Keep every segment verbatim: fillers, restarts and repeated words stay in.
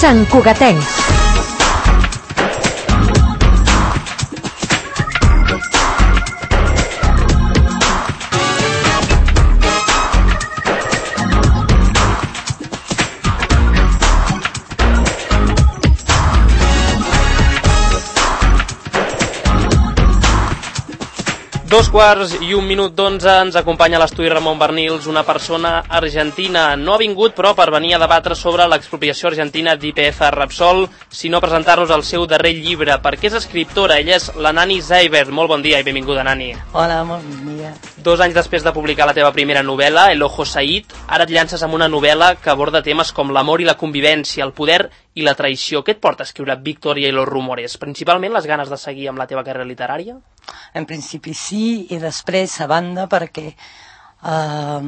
Sant Cugatencs. Dos quarts i un minut d'onze ens acompanya a l'estudi Ramon Bernils, una persona argentina. No ha vingut, però, per venir a debatre sobre l'expropiació argentina d'I P F Repsol, sinó presentar-nos el seu darrer llibre, perquè és escriptora. Ella és la Nani Zeiber. Molt bon dia i benvinguda, Nani. Hola, molt bon dia. Dos anys després de publicar la teva primera novel·la, El Ojo Said, ara et llances amb una novel·la que aborda temes com l'amor i la convivència, el poder i la traïció. Què et porta a escriure Victoria y los rumores? Principalment les ganes de seguir amb la teva carrera literària? En principi sí, i després a banda perquè eh,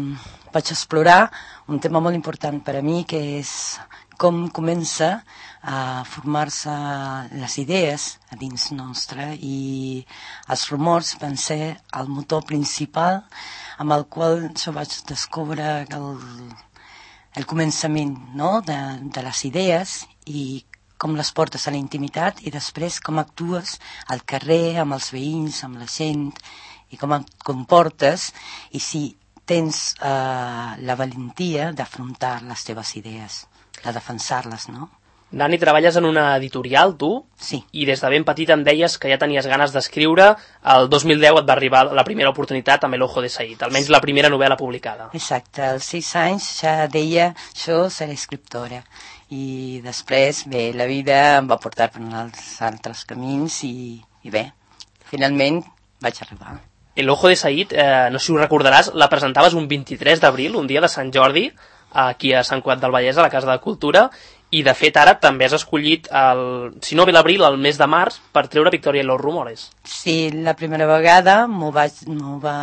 vaig explorar un tema molt important per a mi, que és com comença a formar-se les idees a dins nostre, i els rumors van ser el motor principal amb el qual jo vaig descobrir el, el començament, no?, de, de les idees, i com les portes a la intimitat i després com actues al carrer, amb els veïns, amb la gent, i com et comportes, i si tens eh, la valentia d'afrontar les teves idees, de defensar-les, no? Nani, treballes en una editorial, tu? Sí. I des de ben petit em deies que ja tenies ganes d'escriure. El dos mil deu et va arribar la primera oportunitat amb El Ojo de Said, almenys la primera novel·la publicada. Exacte, als sis anys ja deia jo seré escriptora. I després, bé, la vida em va portar per uns altres camins i, i bé, finalment vaig arribar. El Ojo de Said, eh, no sé si ho recordaràs, la presentaves un vint-i-tres d'abril, un dia de Sant Jordi, aquí a Sant Cugat del Vallès, a la Casa de Cultura, i de fet ara també has escollit, el, si no ve l'abril, el mes de març, per treure Victoria y los rumores. Sí, la primera vegada m'ho vaig, m'ho va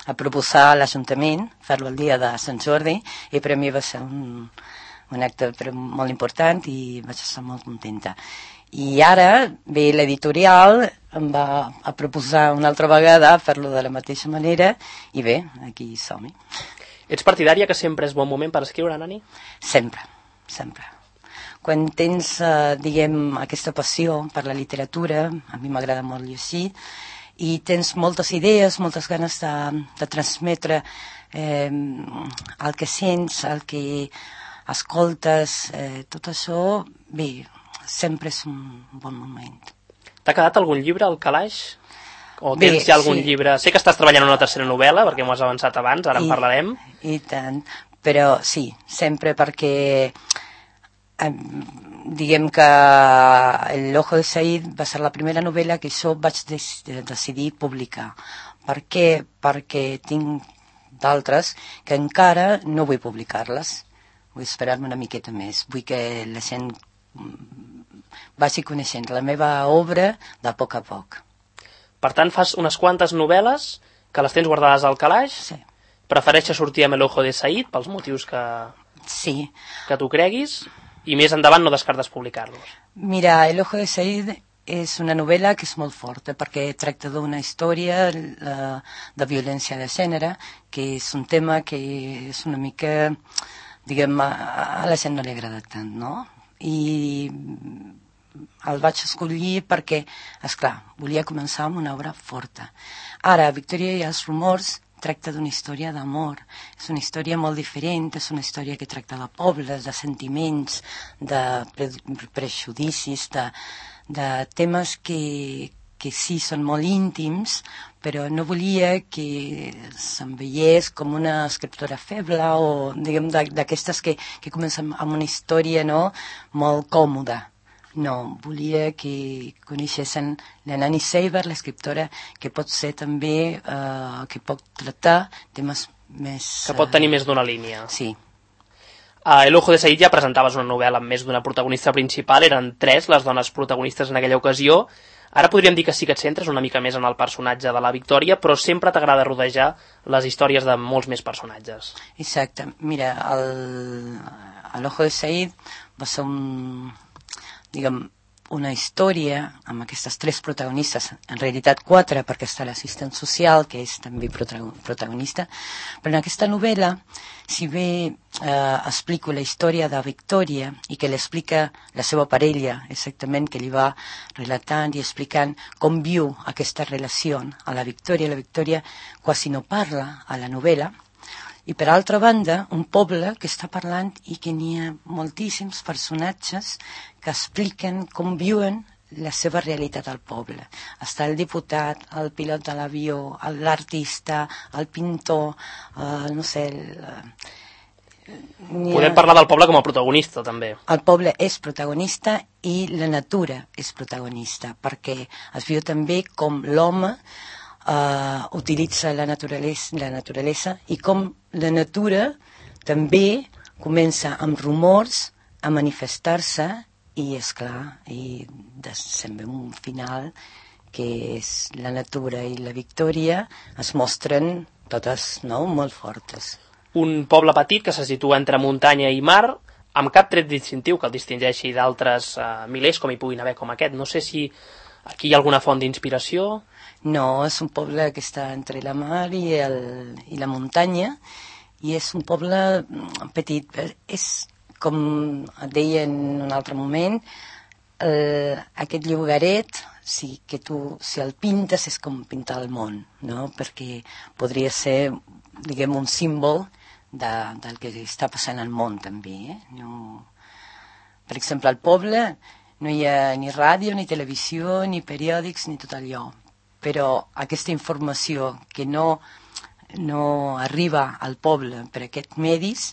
a proposar a l'Ajuntament, fer-lo el dia de Sant Jordi, i per a mi va ser un, un acte molt important i vaig estar molt contenta. I ara, bé, l'editorial em va a proposar una altra vegada fer-lo de la mateixa manera, i bé, aquí som-hi. Ets partidària que sempre és bon moment per escriure, Nani? Sempre, sempre. Quan tens, eh, diguem, aquesta passió per la literatura, a mi m'agrada molt llegir, i tens moltes idees, moltes ganes de, de transmetre eh, el que sents, el que escoltes, eh, tot això, bé, sempre és un bon moment. T'ha quedat algun llibre al calaix? O tens Bé, ja algun sí. llibre? Sé que estàs treballant en una tercera novel·la, perquè m'ho has avançat abans, ara I, en parlarem. I tant, però sí, sempre perquè eh, diguem que El Ojo de Said va ser la primera novel·la que jo vaig de- decidir publicar. Per què? Perquè tinc d'altres que encara no vull publicar-les. Vull esperar-me una miqueta més. Vull que la gent vagi coneixent la meva obra de poc a poc. Per tant, fas unes quantes novel·les que les tens guardades al calaix. Sí. Prefereixes sortir amb El Ojo de Said pels motius que, Sí. que tu creguis, i més endavant no descartes publicar-los. Mira, El Ojo de Said és una novel·la que és molt forta perquè tracta d'una història uh, de violència de gènere, que és un tema que és una mica, diguem, a, a la gent no li agrada tant, no? I el vaig escollir perquè, esclar, volia començar amb una obra forta. Ara, Victoria i els rumors tracta d'una història d'amor. És una història molt diferent, és una història que tracta de pobles, de sentiments, de pre prejudicis, de, de temes que, que sí són molt íntims, però no volia que se'm veiés com una escriptora feble o, diguem, d'aquestes que, que comencen amb una història, no?, molt còmoda. No, volia que coneixessin la Nani Zeiber, l'escriptora, que pot ser també, eh, que pot tractar temes més... Que pot tenir més d'una línia. Sí. A El Ojo de Said ja presentaves una novel·la amb més d'una protagonista principal, eren tres les dones protagonistes en aquella ocasió. Ara podríem dir que sí que et centres una mica més en el personatge de la Victòria, però sempre t'agrada rodejar les històries de molts més personatges. Exacte. Mira, el, el Ojo de Said va ser un... diguem, una història amb aquestes tres protagonistes, en realitat quatre, perquè està l'assistent social, que és també protagonista, però en aquesta novel·la, si bé eh, explico la història de Victòria i que l'explica la seva parella, exactament, que li va relatant i explicant com viu aquesta relació a la Victòria. La Victòria quasi no parla a la novel·la. I per altra banda, un poble que està parlant i que n'hi ha moltíssims personatges que expliquen com viuen la seva realitat al poble. Està el diputat, el pilot de l'avió, l'artista, el pintor, eh, no sé... El, Podem parlar del poble com a protagonista, també. El poble és protagonista i la natura és protagonista, perquè es viu també com l'home uh, utilitza la naturalesa, la naturalesa i com la natura també comença amb rumors a manifestar-se i, esclar, i se'n veu un final que és la natura i la Victòria es mostren totes, no?, molt fortes. Un poble petit que se situa entre muntanya i mar, amb cap tret distintiu que el distingeixi d'altres uh, milers com hi puguin haver com aquest. No sé si aquí hi ha alguna font d'inspiració. No, és un poble que està entre la mar i, el, i la muntanya, i és un poble petit. És, com et deia en un altre moment, eh, aquest llogaret, si, que tu, si el pintes, és com pintar el món, no? Perquè podria ser, diguem, un símbol de, del que està passant al món també, eh? No... Per exemple, al poble no hi ha ni ràdio, ni televisió, ni periòdics, ni tot allò, però aquesta informació que no, no arriba al poble per aquests medis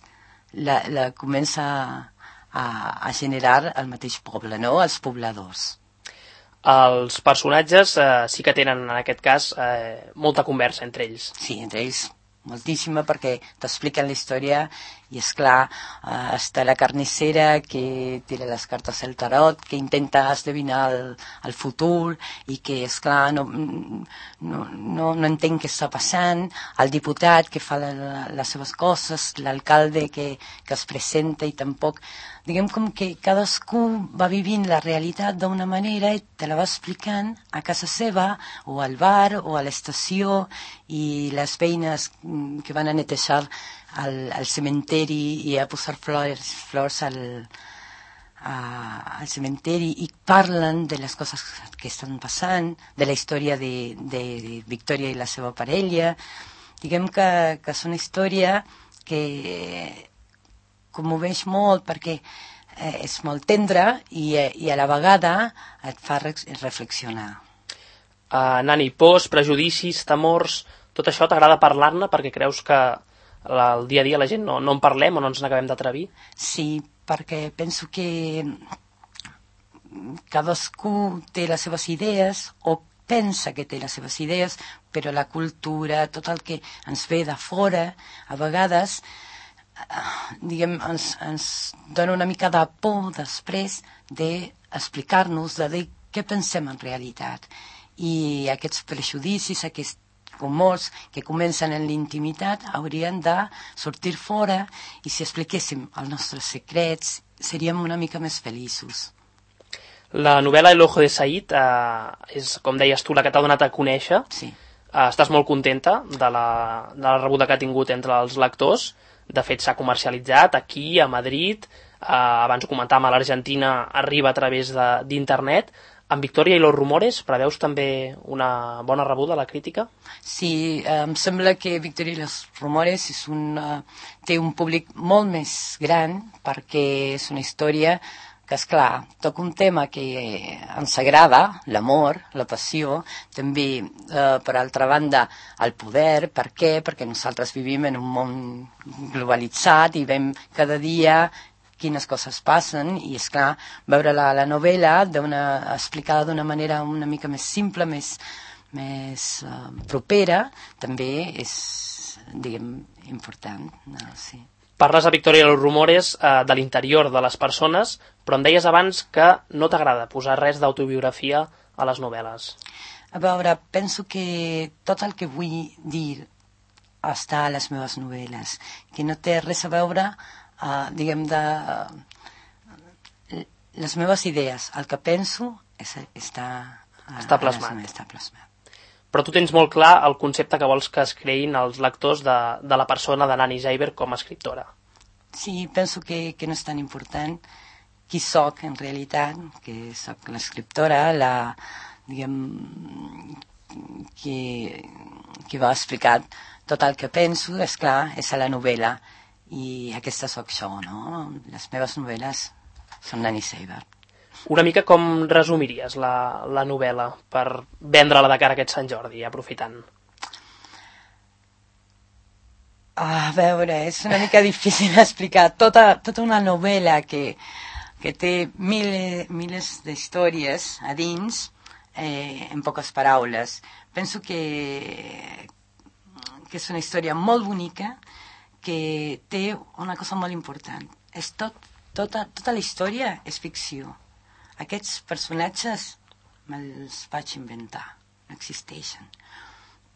la, la comença a, a generar el mateix poble, no?, els pobladors. Els personatges eh, sí que tenen, en aquest cas, eh, molta conversa entre ells. Sí, entre ells moltíssima, perquè t'expliquen la història i, esclar, eh, està la carnissera que tira les cartes al tarot, que intenta esdevinar el, el futur i que, esclar, no, no, no, no entén què està passant, el diputat que fa la, la, les seves coses, l'alcalde que, que es presenta i tampoc... Diguem com que cadascú va vivint la realitat d'una manera i te la va explicant a casa seva o al bar o a l'estació, i les veïnes que van a netejar el, el cementeri i a posar flors, flors al, a, al cementeri i parlen de les coses que estan passant, de la història de, de, de Victòria i la seva parella. Diguem que, que és una història que commoveix molt perquè eh, és molt tendra i, i a la vegada et fa reflexionar. Uh, Nani, pors, prejudicis, temors, tot això t'agrada parlar-ne perquè creus que el dia a dia la gent no, no en parlem o no ens n'acabem d'atrevir? Sí, perquè penso que cadascú té les seves idees o pensa que té les seves idees, però la cultura, tot el que ens ve de fora, a vegades diguem, ens, ens dona una mica de por després d'explicar-nos de dir què pensem en realitat. I aquests prejudicis, aquests rumors que comencen en l'intimitat haurien de sortir fora, i si expliquéssim els nostres secrets seríem una mica més feliços. La novel·la El ojo de Said eh, és, com deies tu, la que t'ha donat a conèixer. Sí. Eh, estàs molt contenta de la, de la rebuda que ha tingut entre els lectors. De fet, s'ha comercialitzat aquí, a Madrid, eh, abans ho comentàvem, a l'Argentina arriba a través d'internet. En Victòria i los rumores preveus també una bona rebuda a la crítica? Sí, eh, em sembla que Victòria i los rumores és un, uh, té un públic molt més gran, perquè és una història que, esclar, toca un tema que ens agrada, l'amor, la passió, també, eh, per altra banda, el poder. Per què? Perquè nosaltres vivim en un món globalitzat i veiem cada dia quines coses passen, i, esclar, veure la, la novel·la d'una, explicada d'una manera una mica més simple, més, més uh, propera, també és, diguem, important. No, sí. Parles a Victòria i los rumores eh, de l'interior de les persones, però em deies abans que no t'agrada posar res d'autobiografia a les novel·les. A veure, penso que tot el que vull dir està a les meves novel·les, que no té res a veure, uh, diguem, de... Uh, les meves idees, el que penso és, està, uh, està plasmat. Està plasmat. Però tu tens molt clar el concepte que vols que es creïn els lectors de, de la persona de Nani Zeiber com a escriptora. sí, penso que, que no és tan important qui soc en realitat, que soc l'escriptora, la, diguem, que, que va explicar tot el que penso, és clar, és a la novel·la, i aquesta soc jo, no? Les meves novel·les són Nani Seiber. Una mica com resumiries la, la novel·la per vendre-la de cara a aquest Sant Jordi, aprofitant? A veure, és una mica difícil explicar tota, tota una novel·la que, que té mil, milers d'històries a dins eh, en poques paraules. Penso que, que és una història molt bonica que té una cosa molt important. És tot, tota, tota la història és ficció. Aquests personatges me'ls vaig inventar, no existeixen.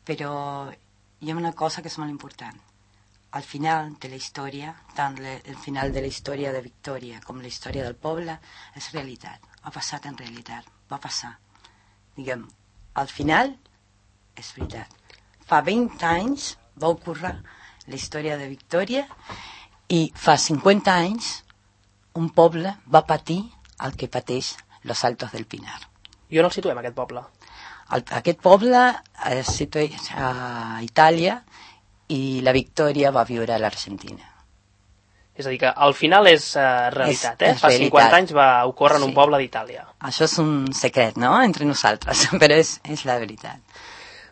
Però hi ha una cosa que és molt important. Al final de la història, tant le, el final de la història de Victòria com la història del poble, és realitat. Ha passat en realitat, va passar. Diguem, al final és veritat. Fa vint anys va ocórrer la història de Victòria i fa cinquanta anys un poble va patir el que pateix Los Altos del Pinar. I on el situem, aquest poble? El, aquest poble es situa a Itàlia i la Victòria va viure a l'Argentina. És a dir, que al final és uh, realitat, és, eh? És Fa realitat. cinquanta anys va ocórrer en sí. un poble d'Itàlia. Això és un secret, no?, entre nosaltres, però és, és la veritat.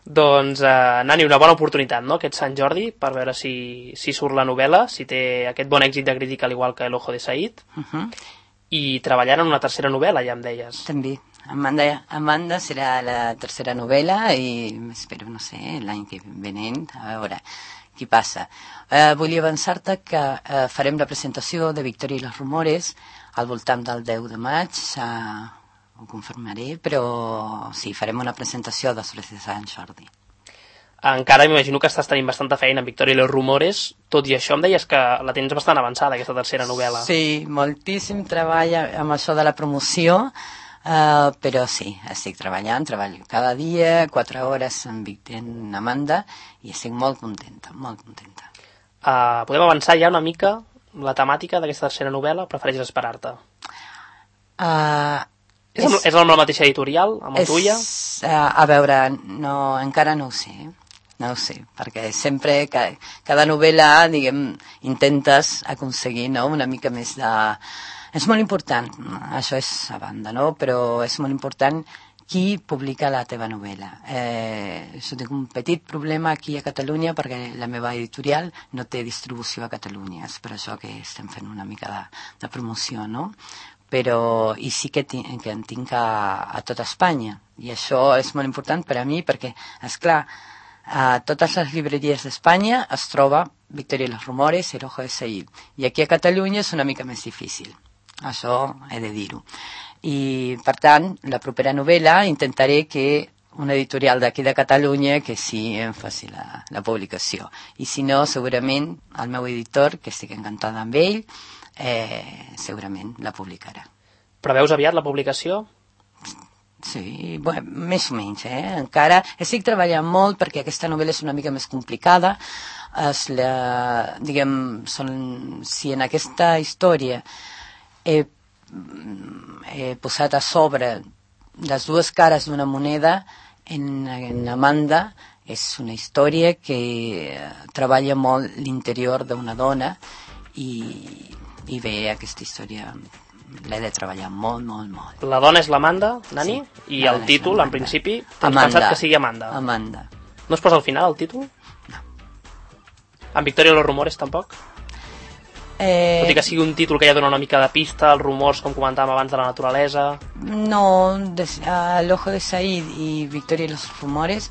Doncs, uh, Nani, una bona oportunitat, no?, aquest Sant Jordi, per veure si, si surt la novel·la, si té aquest bon èxit de crítica, al igual que El Ojo de Said, uh -huh. i treballant en una tercera novel·la, ja em deies. També. Amanda, Amanda serà la tercera novel·la i espero, no sé, l'any que venent, a veure què passa. Eh, volia avançar-te que eh, farem la presentació de Victòria i los Rumores al voltant del deu de maig, ja ho confirmaré, però sí, farem una presentació després de Sant Jordi. Encara m'imagino que estàs tenint bastanta feina en Victòria i los Rumores, tot i això em deies que la tens bastant avançada, aquesta tercera novel·la. Sí, moltíssim treball amb això de la promoció, Uh, però sí, estic treballant, treballo cada dia, quatre hores amb Vicent Amanda, i estic molt contenta, molt contenta. Uh, podem avançar ja una mica la temàtica d'aquesta tercera novel·la o prefereixes esperar-te? Uh, és, és, és amb la mateixa editorial, amb el tuya? Uh, a veure, no, encara no ho sé, no ho sé, perquè sempre, ca, cada novel·la, diguem, intentes aconseguir, no?, una mica més de... És molt important, això és a banda, no? Però és molt important qui publica la teva novel·la. Eh, jo tinc un petit problema aquí a Catalunya perquè la meva editorial no té distribució a Catalunya, és per això que estem fent una mica de, de promoció, no? Però, i sí que, tinc, que en tinc a, a tota Espanya, i això és molt important per a mi perquè, esclar, a totes les llibreries d'Espanya es troba Victòria i los Rumores, El Ojo de Said, i aquí a Catalunya és una mica més difícil. Això he de dir-ho. I, per tant, la propera novel·la intentaré que una editorial d'aquí de Catalunya que sí em faci la, la publicació. I si no, segurament, el meu editor, que estic encantada amb ell, eh, segurament la publicarà. Preveus aviat la publicació? Sí, bueno, més o menys, eh? Encara estic treballant molt perquè aquesta novel·la és una mica més complicada. Es la, diguem, són, si en aquesta història He, he posat a sobre les dues cares d'una moneda, en, en Amanda és una història que treballa molt l'interior d'una dona i, i bé, aquesta història l'he de treballar molt, molt, molt. La dona és l'Amanda, Nani? Sí, i el títol, en principi, tens Amanda. pensat que sigui Amanda? Amanda. No es posa al final el títol? No. En Victòria i los Rumores, tampoc? Eh, Tot i que sigui un títol que ja dona una mica de pista, els rumors, com comentàvem abans, de la naturalesa... No, des, uh, El Ojo de Said i Victòria i los Rumores,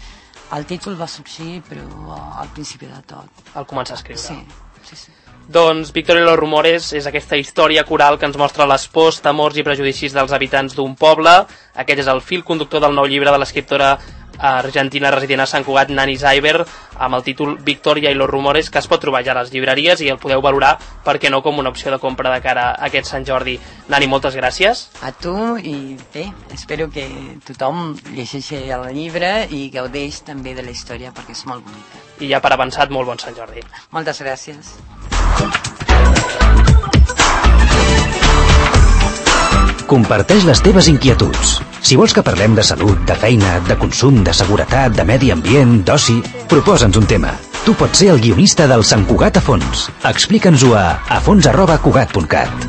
el títol va sorgir, però al principi de tot. Al començar a escriure. Sí, sí, sí. Doncs Victòria i los Rumores és aquesta història coral que ens mostra les pors, temors i prejudicis dels habitants d'un poble. Aquest és el fil conductor del nou llibre de l'escriptora argentina resident a Sant Cugat, Nani Seiber, amb el títol Victòria i los Rumores, que es pot trobar ja a les llibreries i el podeu valorar, per què no, com una opció de compra de cara a aquest Sant Jordi. Nani, moltes gràcies. A tu, i bé, espero que tothom llegeixi el llibre i gaudeix també de la història perquè és molt bonica. I ja per avançat, molt bon Sant Jordi. Moltes gràcies. Comparteix les teves inquietuds. Si vols que parlem de salut, de feina, de consum, de seguretat, de medi ambient, d'oci, proposa'ns un tema. Tu pots ser el guionista del Sant Cugat a fons. Explica'ns-ho a afons arroba cugat punt cat.